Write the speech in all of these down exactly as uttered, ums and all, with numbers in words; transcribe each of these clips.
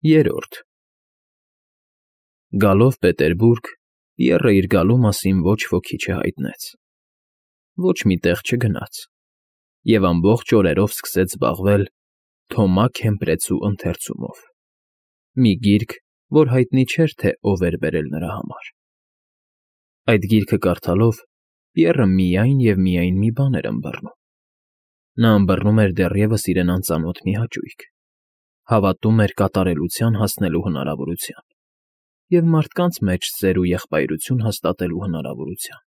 Երրորդ Գալով Պետերբուրգ, Պիեռը իր գալու մասին ոչ ոքի չհայտնեց, ոչ մի տեղ չգնաց և ամբողջ օրերով սկսեց զբաղվել Թոմա Քեմփրեցու ընթերցումով, մի գիրք, որ հայտնի չէր, թե ով էր բերել նրա համար. այդ գիրքը կարդալով Պիեռը միայն և միայն մի բան էր ըմբռնում. նա ըմբռնում էր դեռևս իրեն անծանոթ մի հաճույք, հավատում էր կատարելության հասնելու հնարավորության և մարդկանց մեջ սեր ու եղբայրություն հաստատելու հնարավորության,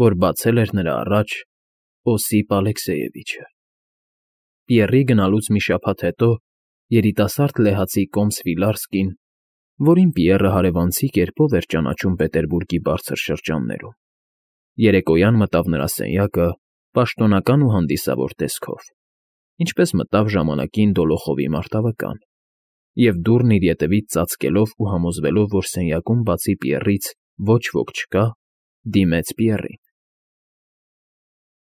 որ բացել էր նրա առաջ Օսիպ Ալեքսեևիչը։ Պիեռի գնալուց մի շաբաթ հետո երիտասարդ լեհացի կոմս Վիլարսկին, որին Պիեռը հարևանցի կերպով էր ճանաչում Պետերբուրգի բարձր շրջաններում, երեկոյան մտավ նրա սենյակը պաշտոնական ու հանդիսավոր տեսքով, ինչպես մտավ ժամանակին Դոլոխովի մարտավկան, և դուռն իր ետևից ծածկելով ու համոզվելով, որ սենյակում բացի Պիեռից ոչ ոք չկա, դիմեց Պիեռին.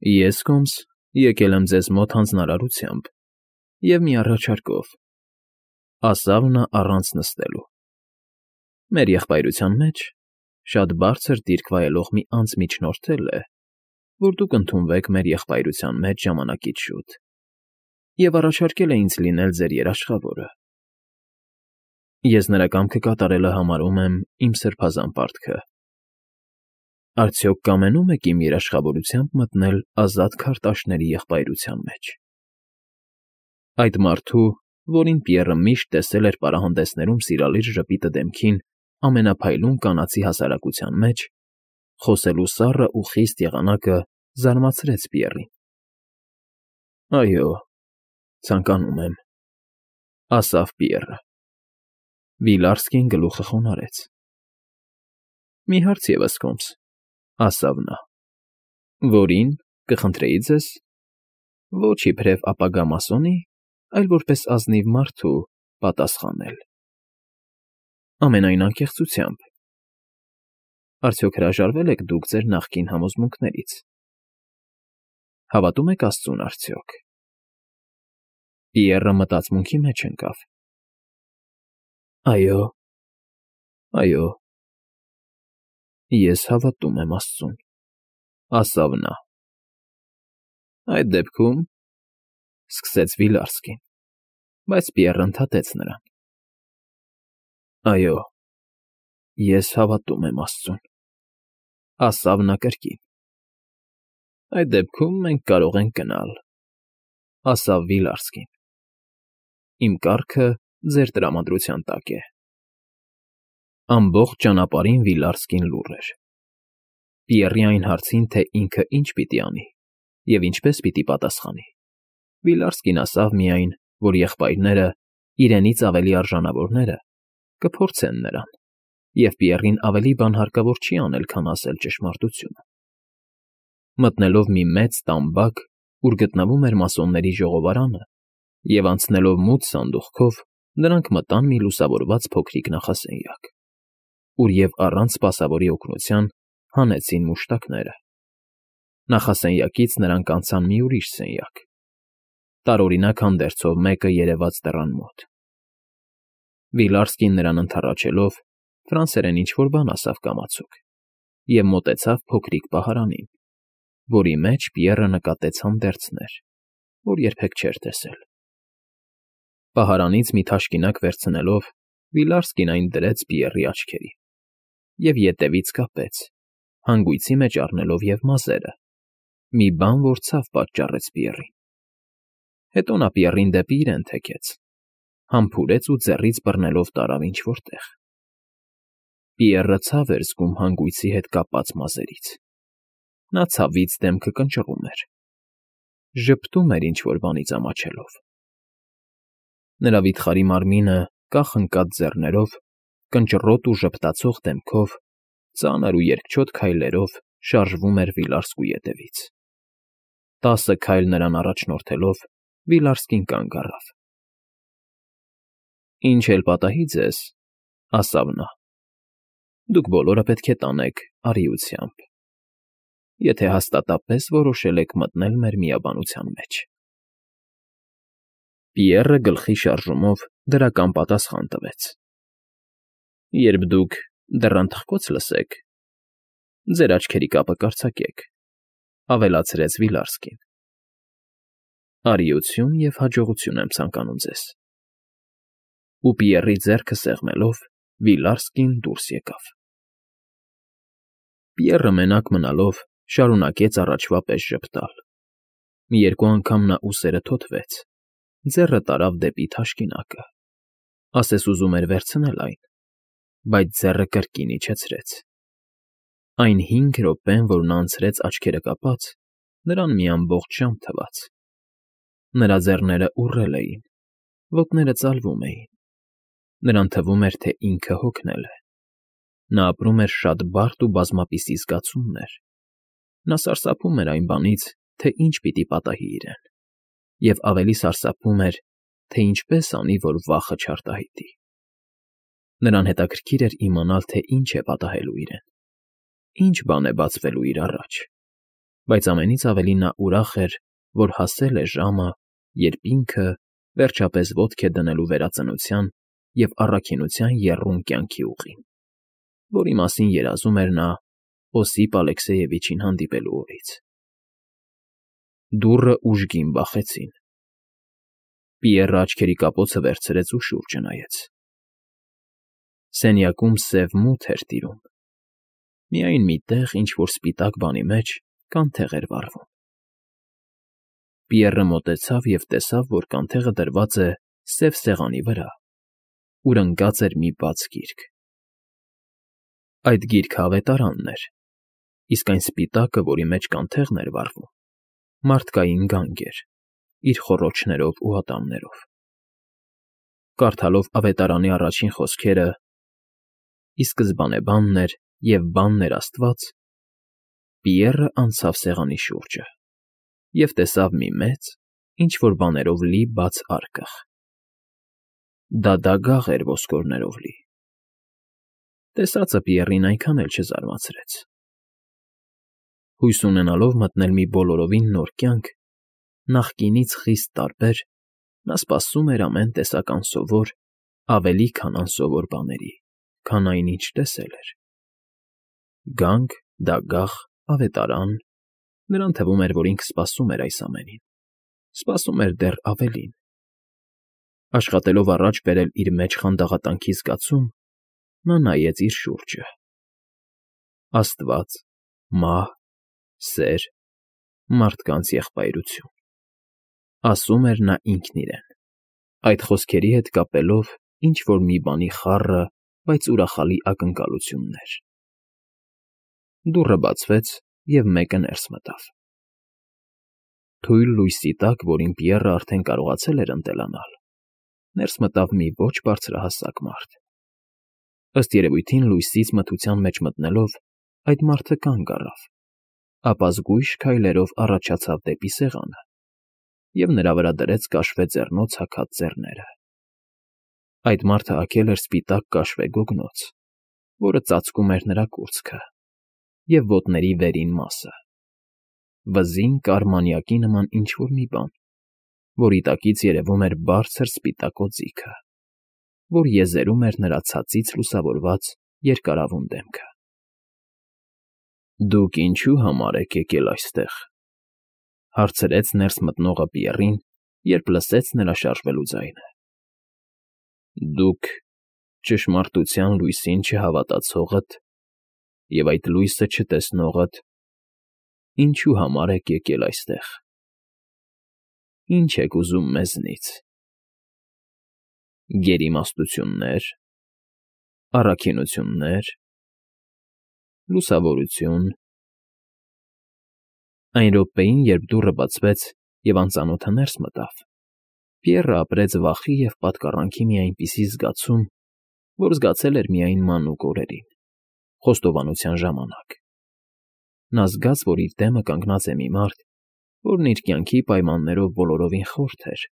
֊ Ես, կոմս, եկել եմ ձեզ մոտ հանձնարարությամբ և մի առաջարկով, ֊ ասավ նա առանց նստելու. մեր եղբայրության մեջ շատ բարձր դիրք վայելող մի անձ միջնորդել է, որ դուք ընդունվեք մեր եղբայրության մեջ ժամանակից շուտ և առաջարկել է ինձ լինել ձեր երաշխավորը։ Ես նրա կամքը կատարելը համարում եմ իմ սրբազան պարտքը։ Արդյոք կամենո՞ւմ եք իմ երաշխավորությամբ մտնել ազատ քարտաշների եղբայրության մեջ։ Այդ մարդու, որին Պիեռը միշտ տեսել էր պարահանդեսներում սիրալիր ժպիտը դեմքին ամենափայլուն կանացի հասարակության մեջ, խոսելու սառը ու խիստ եղանակը զարմացրեց Պիեռին։ ֊ Այո, ցանկանում եմ, ֊ ասավ Պիեռը։ Վիլարսկին գլուխը խոնարհեց։ ֊ Մի հարց ևս, կոմս, ֊ ասավ նա։ ֊ Որին, կխնդրեի ձեզ, ոչ իբրև ապագա մասոնի, այլ որպես ազնիվ մարդու պատասխանել։ ֊ Ամենայն անկեղծությամբ։ Արդյոք հրաժարվե՞լ եք դուք ձեր նախկին համոզմունքներից։ Հավատո՞ւմ եք աստծուն, արդյոք։ Պիեռը մտածմունքի մեջ ընկավ։ ֊ Այո, այո, ես հավատում եմ աստծուն, ֊ ասավ նա։ ֊ Այդ դեպքում, ֊ սկսեց Վիլարսկին, բայց Պիեռը ընդհատեց նրան. ֊ Այո, ես հավատում եմ աստծուն, ֊ ասավ նա կրկին։ ֊ Այդ դեպքում մենք կարող ենք գնալ, ֊ ասավ Վիլարսկին։ Իմ կառքը ձեր տրամադրության տակ է։ Ամբողջ ճանապարհին Վիլարսկին լուռ էր։ Պիեռի այն հարցին, թե ինքը ինչ պիտի անի և ինչպես պիտի պատասխանի, Վիլարսկին ասավ միայն, որ եղբայրները, իրենից ավելի արժանավորները, կփորձեն նրան, և Պիեռին ավելի բան հարկավոր չի անել, քան ասել ճշմարտությունը։ Մտնելով մի մեծ տամբակ, ուր գտնվում էր մասոնների ժողովարանը, և անցնելով մութ սանդուղքով, նրանք մտան մի լուսավորված փոքրիկ նախասենյակ, ուր և առանց սպասավորի օգնության հանեցին մուշտակները։ Նախասենյակից նրանք անցան մի ուրիշ սենյակ, տարօրինակ հանդերձով մեկը երևաց դռան մոտ։ Վիլարսկին նրան ընդառաջելով ֆրանսերեն ինչ֊որ բան ասավ կամացուկ և մոտեցավ փոքրիկ պահարանին, որի մեջ Պիեռը նկատեց հանդերձներ, որ երբեք չէր տեսել։ Պահարանից մի թաշկինակ վերցնելով, Վիլարսկին այն դրեց Պիեռի աչքերին և ետևից կապեց, հանգույցի մեջ առնելով և մազերը, մի բան, որ ցավ պատճառեց Պիեռին։ Հետո նա Պիեռին դեպի իրեն թեքեց, համբուրեց ու ձեռից բռնելով տարավ ինչ֊որ տեղ։ Պիեռը ցավ էր զգում հանգույցի հետ կապած մազերից։ Նա ցավից դեմքը կնճռում էր, ժպտում էր ինչ֊որ բանից ամաչելով։ Նրա վիթխարի մարմինը կախ ընկած ձեռներով, կնճռոտ ու ժպտացող դեմքով, ծանր ու երկչոտ քայլերով շարժվում էր Վիլարսկու ետևից։ Տասը քայլ նրան առաջնորդելով՝ Վիլարսկին կանգ առավ։ ֊ Ինչ էլ պատահի ձեզ, ֊ ասավ նա, ֊ դուք բոլորը պետք է տանեք արիությամբ, եթե հաստատապես որոշել եք մտնել մեր միաբանության մեջ։ Պիեռը գլխի շարժումով դրական պատասխան տվեց. ֊ Երբ դուք դռան թխկոց լսեք, ձեր աչքերի կապը կարձակեք,֊ ավելացրեց Վիլարսկին։ ֊ Արիություն և հաջողություն եմ ցանկանում ձեզ։ Ու Պիեռի ձեռքը սեղմելով՝ Վիլարսկին դուրս եկավ։ Պիեռը մենակ մնալով շարունակեց առաջվա պես ժպտալ։ Մի երկու անգամ նա ուսերը թոթվեց, ձեռը տարավ դեպի թաշկինակը, ասես ուզում էր վերցնել այն, բայց ձեռը կրկին իջեցրեց։ Այն հինգ րոպեն, որ նա անցրեց աչքերը կապած, նրան մի ամբողջ ժամ թվաց։ Նրա ձեռները ուռել էին, ոտները ծալվում էին, նրան թվում էր, թե ինքը հոգնել է։ Նա ապրում էր շատ բարդ ու բազմապիսի զգացումներ։ Նա սարսափում էր այն բանից, թե ինչ պիտի պատահի իրեն, և ավելի սարսափում էր, թե ինչպես անի, որ վախը չարտահայտի։ Նրան հետաքրքիր էր իմանալ, թե ինչ է պատահելու իրեն, ինչ բան է բացվելու իր առաջ, բայց ամենից ավելի նա ուրախ էր, որ հասել է ժամը, երբ ինքը, վերջապես, ոտք է դնելու վերածնության և առաքինության եռուն կյանքի ուղին, որի մասին երազում էր նա Օսիպ Ալեքսեևիչին հանդիպելու օրից։ Դուռը ուժգին բախեցին։ Պիեռը աչքերի կապոցը վերցրեց ու շուրջը նայեց։ Սենյակում սև մութ էր տիրում։ Միայն մի տեղ, ինչ֊որ սպիտակ բանի մեջ, կանթեղ էր վառվում։ Պիեռը մոտեցավ և տեսավ, որ կանթեղը դրված է սև սեղանի վրա, ուր ընկած էր մի բաց գիրք։ Այդ գիրքը ավետարանն էր, իսկ այն սպիտակը, որի մեջ կանթեղն էր վառվում, մարդկային գանգ էր, իր խոռոչներով ու ատամներով։ Կարդալով ավետարանի առաջին խոսքերը «Ի սկզբանե բանն էր, և բանն էր Աստված», Պիեռը անցավ սեղանի շուրջը և տեսավ մի մեծ, ինչ֊որ բաներով լի բաց արկղ։ Դա դագաղ էր ոսկորներով լի։ Տեսածը Պիեռին այնքան էլ չզարմացրեց։ Հույս ունենալով մտնել մի բոլորովին նոր կյանք, նախկինից խիստ տարբեր, նա սպասում էր ամեն տեսակ անսովոր, ավելի քան անսովոր բաների, քան այն, ինչ տեսել էր։ Գանգ, դագաղ, ավետարան… Նրան թվում էր, որ ինքը սպասում էր այս ամենին, սպասում էր դեռ ավելին։ Աշխատելով առաջ բերել իր մեջ խանդաղատանքի զգացում, նա նայեց իր շուրջը։ Աստված, մահ, սեր, մարդկանց եղբայրություն… ասում էր նա ինքն իրեն, այդ խոսքերի հետ կապելով ինչ֊որ մի բանի խառը, բայց ուրախալի ակնկալություններ։ Դուռը բացվեց, և մեկը ներս մտավ։ Թույլ լույսի տակ, որին Պիեռը արդեն կարողացել էր ընտելանալ, ներս մտավ մի ոչ բարձրահասակ մարդ։ Ըստ երևույթին, լույսից մթության մեջ մտնելով, այդ մարդը կանգ առավ, ապա զգույշ քայլերով առաջացավ դեպի սեղանը և նրա վրա դրեց կաշվե ձեռնոց հագած ձեռները։ Այդ մարդը հագել էր սպիտակ կաշվե գոգնոց, որը ծածկում էր նրա կուրծքը և ոտների վերին մասը, վզին կար մանյակի նման ինչ֊որ մի բան, որի տակից երևում էր բարձր սպիտակ օձիքը, որ եզերում էր նրա ցածից լուսավորված երկարավուն դեմքը։ ֊ Դուք ինչո՞ւ համար եք եկել այստեղ,֊ հարցրեց ներս մտնողը Պիեռին, երբ լսեց նրա շարժվելու ձայնը։ ֊ Դուք, ճշմարտության լույսին չհավատացողդ և այդ լույսը չտեսնողդ, ինչո՞ւ համար եք եկել այստեղ, ինչ եք ուզում մեզնից… Գերիմաստություննե՞ր, առաքինությո՞ւններ, լուսավորությո՞ւն… Այն րոպեին, երբ դուռը բացվեց և անծանոթը ներս մտավ, Պիեռը ապրեց վախի և պատկառանքի մի այնպիսի զգացում, որ զգացել էր միայն մանուկ օրերին, խոստովանության ժամանակ։ Նա զգաց, որ իր դեմը կանգնած է մի մարդ, որն իր կյանքի պայմաններով բոլորովին խորթ էր,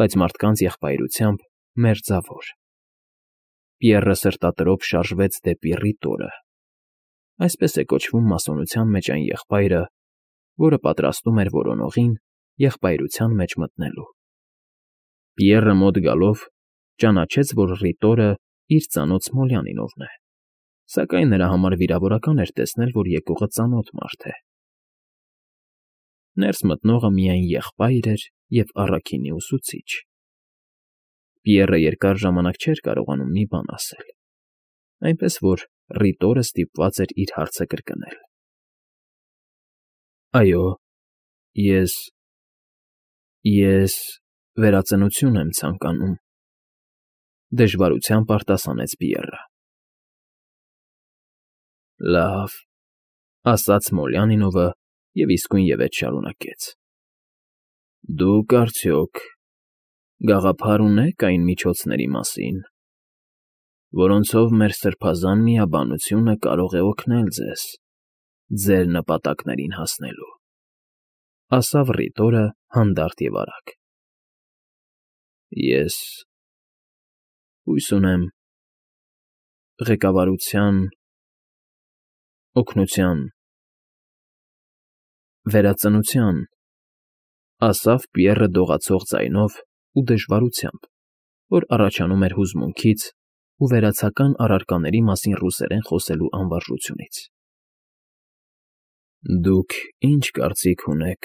բայց մարդկանց եղբայրությամբ մերձավոր։ Պիեռը սրտատրոփ շարժվեց դեպի Ռիտորը։ Այսպես է կոչվում մասոնության մեջ այն եղբայրը, որը պատրաստում էր որոնողին եղբայրության մեջ մտնելու։ Պիեռը մոտ գալով ճանաչեց, որ ռիտորը իր ծանոթ Սմոլյանինովն է, սակայն նրա համար վիրավորական էր տեսնել, որ եկողը ծանոթ մարդ է։ Ներս մտնողը միայն եղբայր էր և առաքինի ուսուցիչ։ Պիեռը երկար ժամանակ չէր կարողանում մի բան ասել, այնպես որ ռիտորը ստիպված էր իր հարցը կրկնել։ ֊ Այո, ես… ես… վերածնություն եմ ցանկանում,֊ դժվարությամբ արտասանեց Պիեռը։ ֊ Լավ,֊ ասաց Սմոլյանինովը և իսկույնևեթ շարունակեց,֊ դուք, արդյոք, գաղափար ունե՞ք այն միջոցների մասին, որոնցով մեր սրբազան միաբանությունը կարող է օգնել ձեզ ձեր նպատակներին հասնելու,֊ ասավ ռիտորը հանդարտ և արագ։ ֊ Ես… հույս ունեմ… ղեկավարության… օգնության… վերածնության,֊ ասավ Պիեռը դողացող ձայնով ու դժվարությամբ, որ առաջանում էր հուզմունքից ու վերացական առարկաների մասին ռուսերեն խոսելու անվարժությունից։ ֊ Դուք ի՞նչ կարծիք ունեք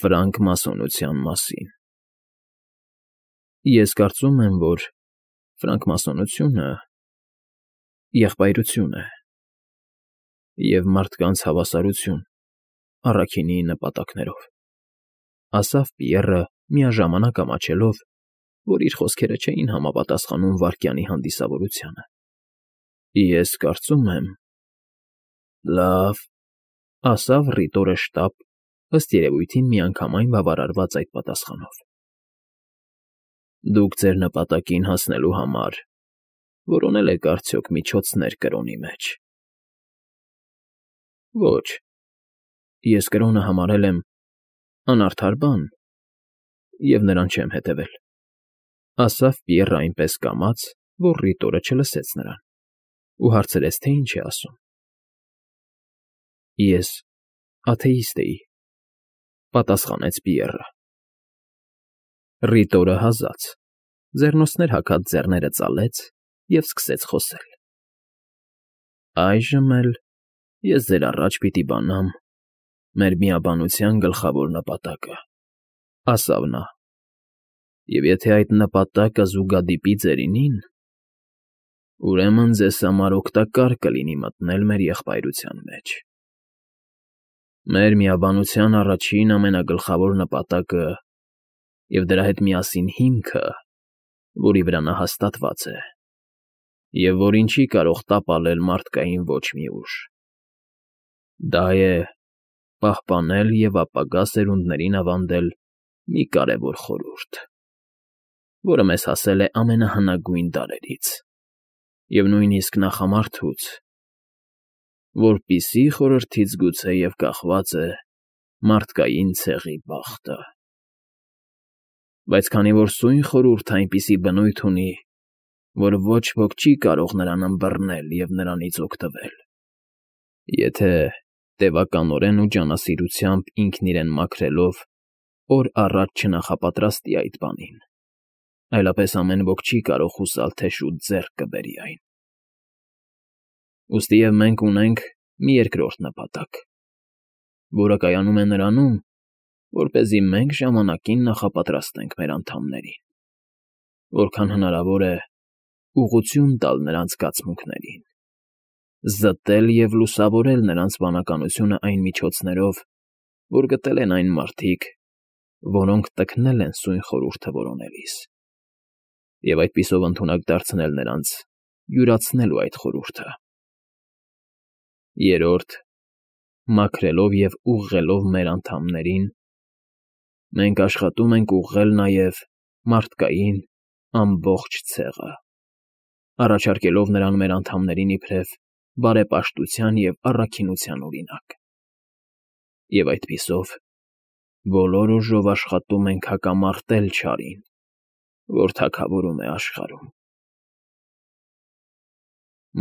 ֆրանկմասոնության մասին։ ֊ Ես կարծում եմ, որ ֆրանկմասոնությունը եղբայրություն է և մարդկանց հավասարություն առաքինի նպատակներով,֊ ասավ Պիեռը միաժամանակ ամաչելով, որ իր խոսքերը չէին համապատասխանում վայրկյանի հանդիսավորությանը։ ֊ Ես կարծում եմ… Լավ,֊ ասավ ռիտորը շտապ, ըստ երևույթին միանգամայն բավարարված այդ պատասխանով,֊ Դուք ձեր նպատակին հասնելու համար որոնել եք արդյոք միջոցներ կրոնի մեջ։ ֊ Ոչ, ես կրոնը համարել եմ անարդար բան և նրան չեմ հետևել,֊ ասավ Պիեռը այնպես կամաց, որ ռիտորը չլսեց նրան ու հարցրեց, թե ինչ է ասում։ ֊ Ես աթեիստ էի,֊ պատասխանեց Պիեռը։ Ռիտորը հազաց, ձեռնոցներ հագած ձեռները ծալեց և սկսեց խոսել։ ֊ Այժմ էլ ես ձեր առաջ պիտի բանամ մեր միաբանության գլխավոր նպատակը,֊ ասավ նա,֊ և եթե այդ նպատակը զուգադիպի ձերինին, ուրեմն ձեզ համար օգտակար կլինի մտնել մեր եղբայրության մեջ։ Մեր միաբանության առաջին ամենագլխավոր նպատակը և դրա հետ միասին հիմքը, որի վրա նա հաստատված է, և որին չի կարող տապալել մարդկային ոչ մի ուժ, դա է պահպանել և ապագա սերունդներին ավանդել մի կարևոր խորհուրդ, որը մեզ հասել է ամենահնագույն դարերից և նույնիսկ նախամարդուց, որպիսի խորհրդից գուցեև կախված է մարդկային ցեղի բախտը։ Բայց քանի որ սույն խորհուրդն այնպիսի բնույթ ունի, որ ոչ ոք չի կարող նրան ըմբռնել և նրանից օգտվել, եթե տևականորեն ու ջանասիրությամբ ինքն իրեն մաքրելով օր առաջ չնախապատրաստի այդ բանին, այլապես ամեն ոք չի կարող հուսալ, թե շուտ ձեռք կբերի այն։ Ուստիև մենք ունենք մի երկրորդ նպատակ, որը կայանում է նրանում, որպեսզի մենք ժամանակին նախապատրաստենք մեր անդամներին, որքան հնարավոր է ուղղություն տալ նրանց զգացմունքներին, զտել և լուսավորել նրանց բանականությունը այն միջոցներով, որ գտել են այն մարդիկ, որոնք տքնել են սույն խորհուրդը որոնելիս, և այդպիսով ընդունակ դարձնել նրանց յուրացնելու այդ խորհուրդը։ Երրորդ, մաքրելով և ուղղելով մեր անդամներին, մենք աշխատում ենք ուղղել նաև մարդկային ամբողջ ցեղը, առաջարկելով նրան մեր անդամներին իբրև բարեպաշտության և առաքինության օրինակ, և այդպիսով բոլոր ուժով աշխատում ենք հակամարտել չարին, որ թագավորում է աշխարհում։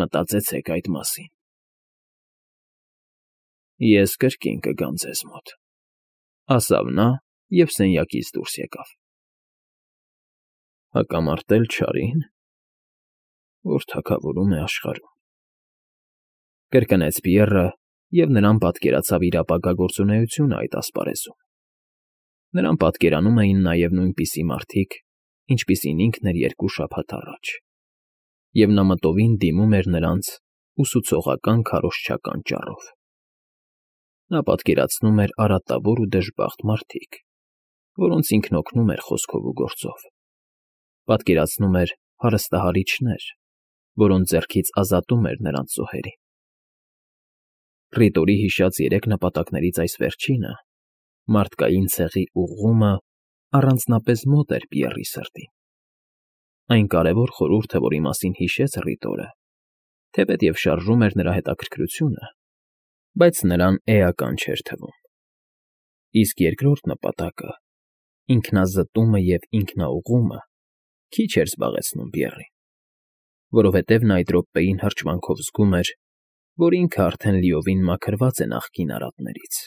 Մտածեցեք այդ մասին։ Ես կրկին կգամ ձեզ մոտ,֊ ասավ նա և սենյակից դուրս եկավ։ Հակամարտել չարին, որ թագավորում է աշխարհում,֊ կրկնեց Պիեռը, և նրան պատկերացավ իր ապագա գործունեությունը այդ ասպարեզում. նրան պատկերանում էին նաև նույնպիսի մարդիկ, ինչպիսին ինքն էր երկու շաբաթ առաջ, և նա մտովին դիմում էր նրանց ուսուցողական քարոզչական ճառով. նա պատկերացնում էր արատավոր ու դժբախտ մարդիկ, որոնց ինքն օգնում էր խոսքով ու գործով, պատկերացնում էր հարստահարիչներ, որոնց ձեռքից ազատում էր նրանց զոհերին… Ռիտորի հիշած երեք նպատակներից այս վերջինը՝ մարդկային ցեղի ուղղումը, առանձնապես մոտ էր Պիեռի սրտին. այն կարևոր խորհուրդը, որի մասին հիշեց Ռիտորը, թեպետև շարժում էր նրա հետաքրքրությունը, բայց նրան էական չէր թվում, իսկ երկրորդ նպատակը՝ ինքնազտումը և ինքնաուղղումը, քիչ էր զբաղեցնում Պիեռին, որովհետև նա այդ րոպեին հրճվանքով զգում էր, որ ինքը արդեն լիովին մաքրված է նախկին արատներից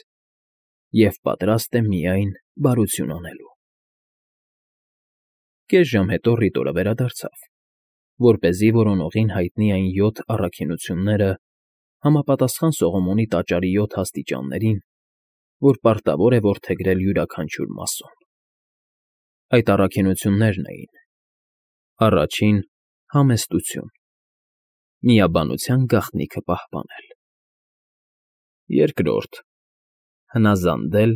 և պատրաստ է միայն բարություն անելու… Կես ժամ հետո Ռիտորը վերադարձավ, որպեսզի որոնողին հայտնի այն յոթ առաքինությունները համապատասխան Սողոմոնի տաճարի յոթ աստիճաններին, որ պարտավոր է որդեգրել յուրաքանչյուր մասոն. Այդ առաքինություններն էին. առաջին՝ համեստություն, միաբանության գաղտնիքը պահպանել. երկրորդ՝ հնազանդել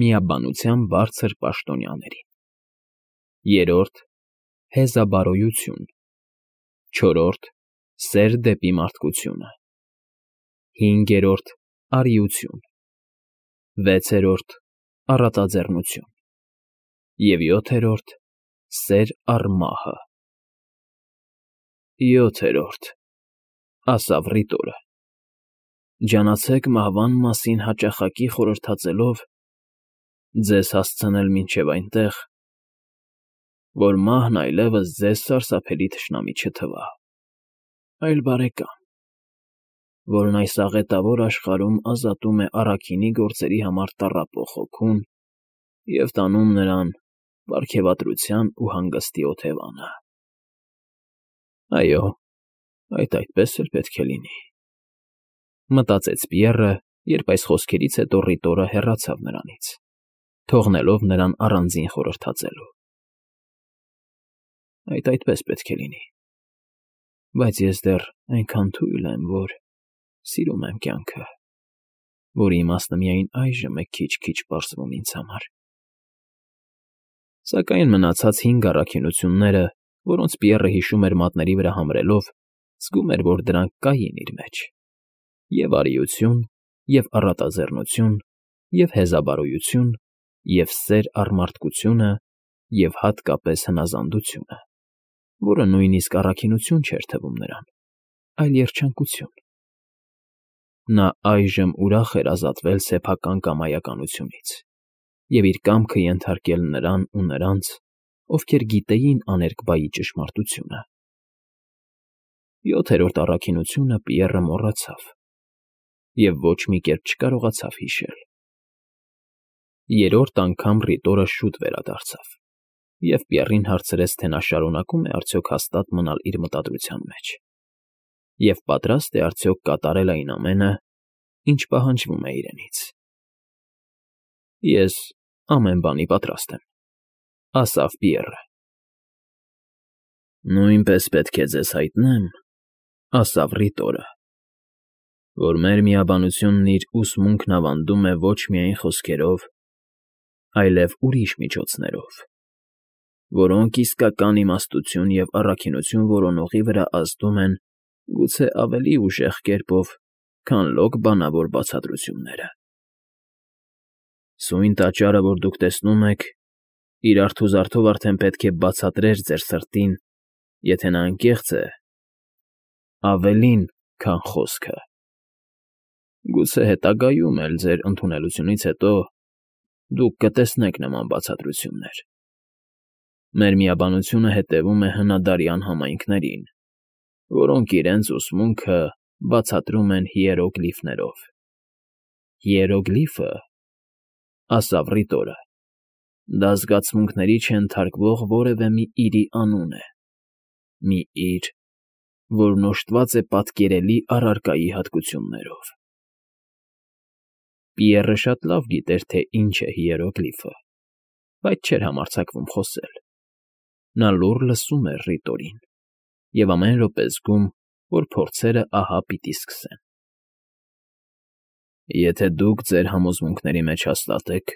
միաբանության բարձր պաշտոնյաներին, երրորդ՝ հեզաբարոյություն, չորրորդ՝ սեր դեպի մարդկությունը, հինգերորդ՝ արիություն, վեցերորդ՝ առատաձեռնություն և յոթերորդ՝ սեր առ մահը։ «Յոթերորդ,֊ ասավ Ռիտորը,֊ ջանացեք մահվան մասին հաճախակի խորհրդածելով, ձեզ հասցնել մինչև այնտեղ, որ մահն այլևս ձեզ սարսափելի թշնամի չթվա, այլ բարեկամ, որն այս աղետավոր աշխարհում ազատում է առաքինի գործերի համար տառապող հոգուն և տանում նրան պարգևատրության ու հանգստի օթևանը»։ «Այո, այդ այդպես էլ պետք է լինի,֊ մտածեց Պիեռը, երբ այս խոսքերից հետո Ռիտորը հեռացավ նրանից, թողնելով նրան առանձին խորհրդածելու։ «Այդ այդպես պետք է լինի, բայց ես դեռ այնքան թույլ եմ, որ սիրում եմ կյանքը, որի իմաստը միայն այժմ է քիչ֊քիչ պարզվում ինձ համար»։ Սակայն մնացած հինգ առաքինությունները, որոնց Պիեռը հիշում էր մատների վրա համրելով, զգում էր, որ դրանք կային իր մեջ. և արիություն, և առատաձեռնություն, և հեզաբարոյություն, և սեր առ մարդկությունը, և հատկապես հնազանդությունը, որը նույնիսկ առաքինություն չէր թվում նրան, այլ երջանկություն… Նա այժմ ուրախ էր ազատվել սեփական կամայականությունից և իր կամքը ենթարկել նրան ու նրանց, ովքեր գիտեին աներկբայի ճշմարտությունը։ Յոթերորդ առաքինությունը Պիեռը մոռացավ և ոչ մի կերպ չկարողացավ հիշել։ Երրորդ անգամ Ռիտորը շուտ վերադարձավ և Պիեռին հարցրեց, թե նա շարունակում է արդյոք հաստատ մնալ իր մտադրության մեջ և պատրա՞ստ է արդյոք կատարել այն ամենը, ինչ պահանջվում է իրենից։ «Ես ամեն բանի պատրաստ եմ,֊ ասավ Պիեռը։ «Նույնպես պետք է ձեզ հայտնեմ,֊ ասավ Ռիտորը,֊ որ մեր միաբանությունն իր ուսմունքն ավանդում է ոչ միայն խոսքերով, այլև ուրիշ միջոցներով, որոնք իսկական իմաստություն և առաքինություն որոնողի վրա ազդում են գուցե ավելի ուժեղ կերպով, քան լոկ բանավոր բացատրությունները։ Սույն տաճարը, որ դուք տեսնում եք, իր արթուզարդով արդեն պետք է բացատրեր ձեր սրտին, եթե նա անկեղծ է, ավելին, քան խոսքը… Գուցե հետագայում էլ, ձեր ընդունելությունից հետո, դուք կտեսնեք նման բացատրություններ։ Մեր միաբանությունը հետևում է հնադարյան համայնքներին, որոնք իրենց ուսմունքը բացատրում են հիերոգլիֆներով։ Հիերոգլիֆը, ասավ Ռիտորը, Դա զգացմունքների չենթարկվող որևէ մի իրի անուն է, մի իր, որն օժտված է պատկերելի առարկայի հատկություններով։ Պիեռը շատ լավ գիտեր, թե ինչ է հիերոգլիֆը, բայց չէր համարձակվում խոսել։ Նա լուռ լսում էր Ռիտորին և ամեն րոպե զգում, որ փորձերը ահա պիտի սկսեն։ Եթե դուք ձեր համոզմունքների մեջ հաստատ եք,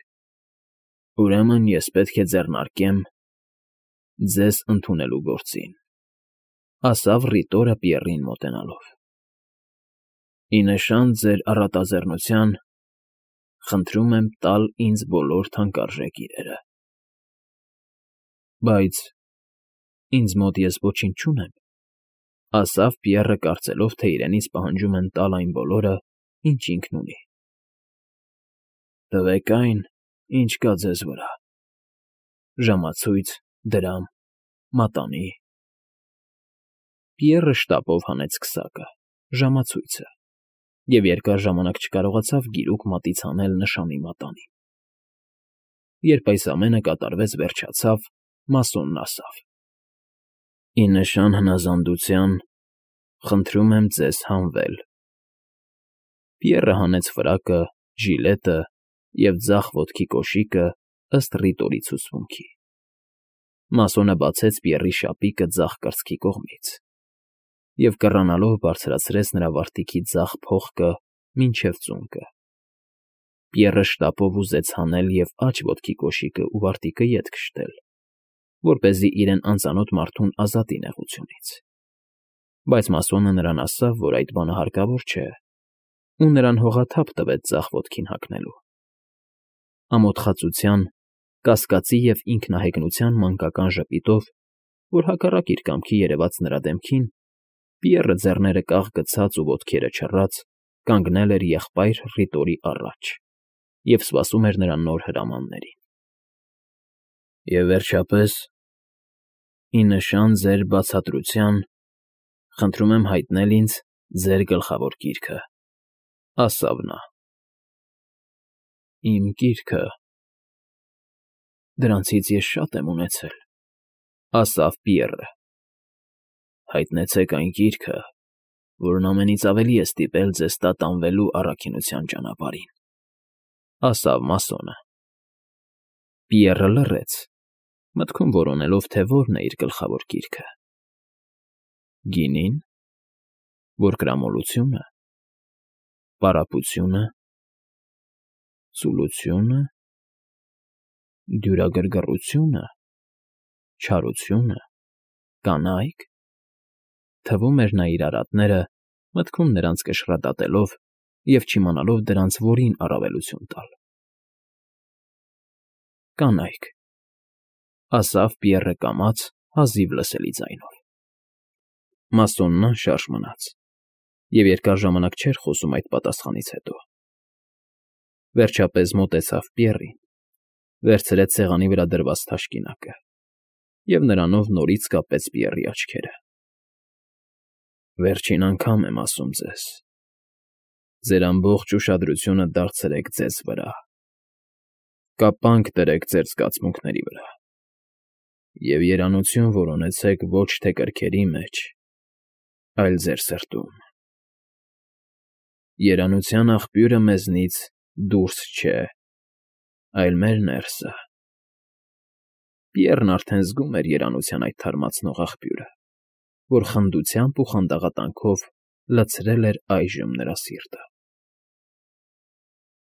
ուրեմն ես պետք է ձեռնարկեմ ձեզ ընդունելու գործին,֊ ասավ Ռիտորը Պիեռին մոտենալով։ «Ի նշան ձեր առատաձեռնության խնդրում եմ տալ ինձ բոլոր թանկարժեք իրերը»։ «Բայց ինձ մոտ ես ոչինչ չունեմ,֊ ասավ Պիեռը, կարծելով, թե իրենից պահանջում են տալ այն բոլորը, ինչ ինքն ունի։ ֊ Տվեք այն, ինչ կա ձեզ վրա. ժամացույց, դրամ, մատանի…» Պիեռը շտապով հանեց քսակը, ժամացույցը, և երկար ժամանակ չկարողացավ գիրուկ մատից հանել նշանի մատանին։ Երբ այս ամենը կատարվեց վերջացավ, մասոնն ասավ. «Ի նշան հնազանդության խնդրում եմ ձեզ հանվել»։ Պիեռը հանեց ֆրակը, ժիլետը և ձախ ոտքի կոշիկը ըստ Ռիտորի ցուցմունքի։ Մասոնը բացեց Պիեռի շապիկը ձախ կրծքի կողմից և կռանալով բարձրացրեց նրա վարտիքի ձախ փողկը մինչև ծունկը։ Պիեռը շտապով ուզեց հանել և աջ ոտքի կոշիկը ու վարտիքը ետ քշել, որպեսզի իրեն անծանոթ մարդուն ազատի նեղությունից, բայց մասոնը նրան ասավ, որ այդ բանը հարկավոր չէ, ու նրան հողաթափ տվեց ձախ ոտքին հագնելու։ Ամոթխածության, կասկածի և ինքնահեգնության մանկական ժպիտով, որ հակառակ իր կամքի երևաց նրա դեմքին, Պիեռը ձեռները կախ գցած ու ոտքերը չռած կանգնել էր եղբայր Ռիտորի առաջ և սպասում էր նրա նոր հրամաններին։ ֊ Եվ վերջապես, ի նշան ձեր բացատրության, խնդրում եմ հայտնել ինձ ձեր գլխավոր գիրքը,֊ ասավ նա։ ֊ Իմ գիրքը… Դրանցից ես շատ եմ ունեցել,֊ ասավ Պիեռը։ Հայտնեցեք այն գիրքը, որն ամենից ավելի է ստիպել ձեզ տատանվելու առաքինության ճանապարհին,֊ ասավ մասոնը։ Պիեռը լռեց, մտքում որոնելով, թե որն է իր գլխավոր գիրքը. գինի՞ն, որկրամոլությո՞ւնը, պարապությո՞ւնը, ծուլությո՞ւնը, դյուրագրգռությո՞ւնը, չարությո՞ւնը, կանայք… Թվում էր նա իր արատները, մտքում նրանց կշռադատելով և չիմանալով դրանց որին առավելություն տալ։ ֊ Կանայք…֊ ասավ Պիեռը կամաց, հազիվ լսելի ձայնով։ Մասոնն անշարժ մնաց և երկար ժամանակ չէր խոսում այդ պատասխանից հետո։ Վերջապես մոտեցավ Պիեռին, վերցրեց սեղանի վրա դրված թաշկինակը և նրանով նորից կապեց Պիեռի աչքերը։ ֊ Վերջին անգամ եմ ասում ձեզ. ձեր ամբողջ ուշադրությունը դարձրեք ձեզ վրա, կապանք դրեք ձեր զգացմունքների վրա և երանություն որոնեցեք ոչ թե կրքերի մեջ, այլ ձեր սրտում. երանության աղբյուրը մեզնից դուրս չէ, այլ մեր ներսը… Պիեռն արդեն զգում էր երանության այդ թարմացնող աղբյուրը, որ խնդությամբ ու խանդաղատանքով լցրել էր այժմ նրա սիրտը։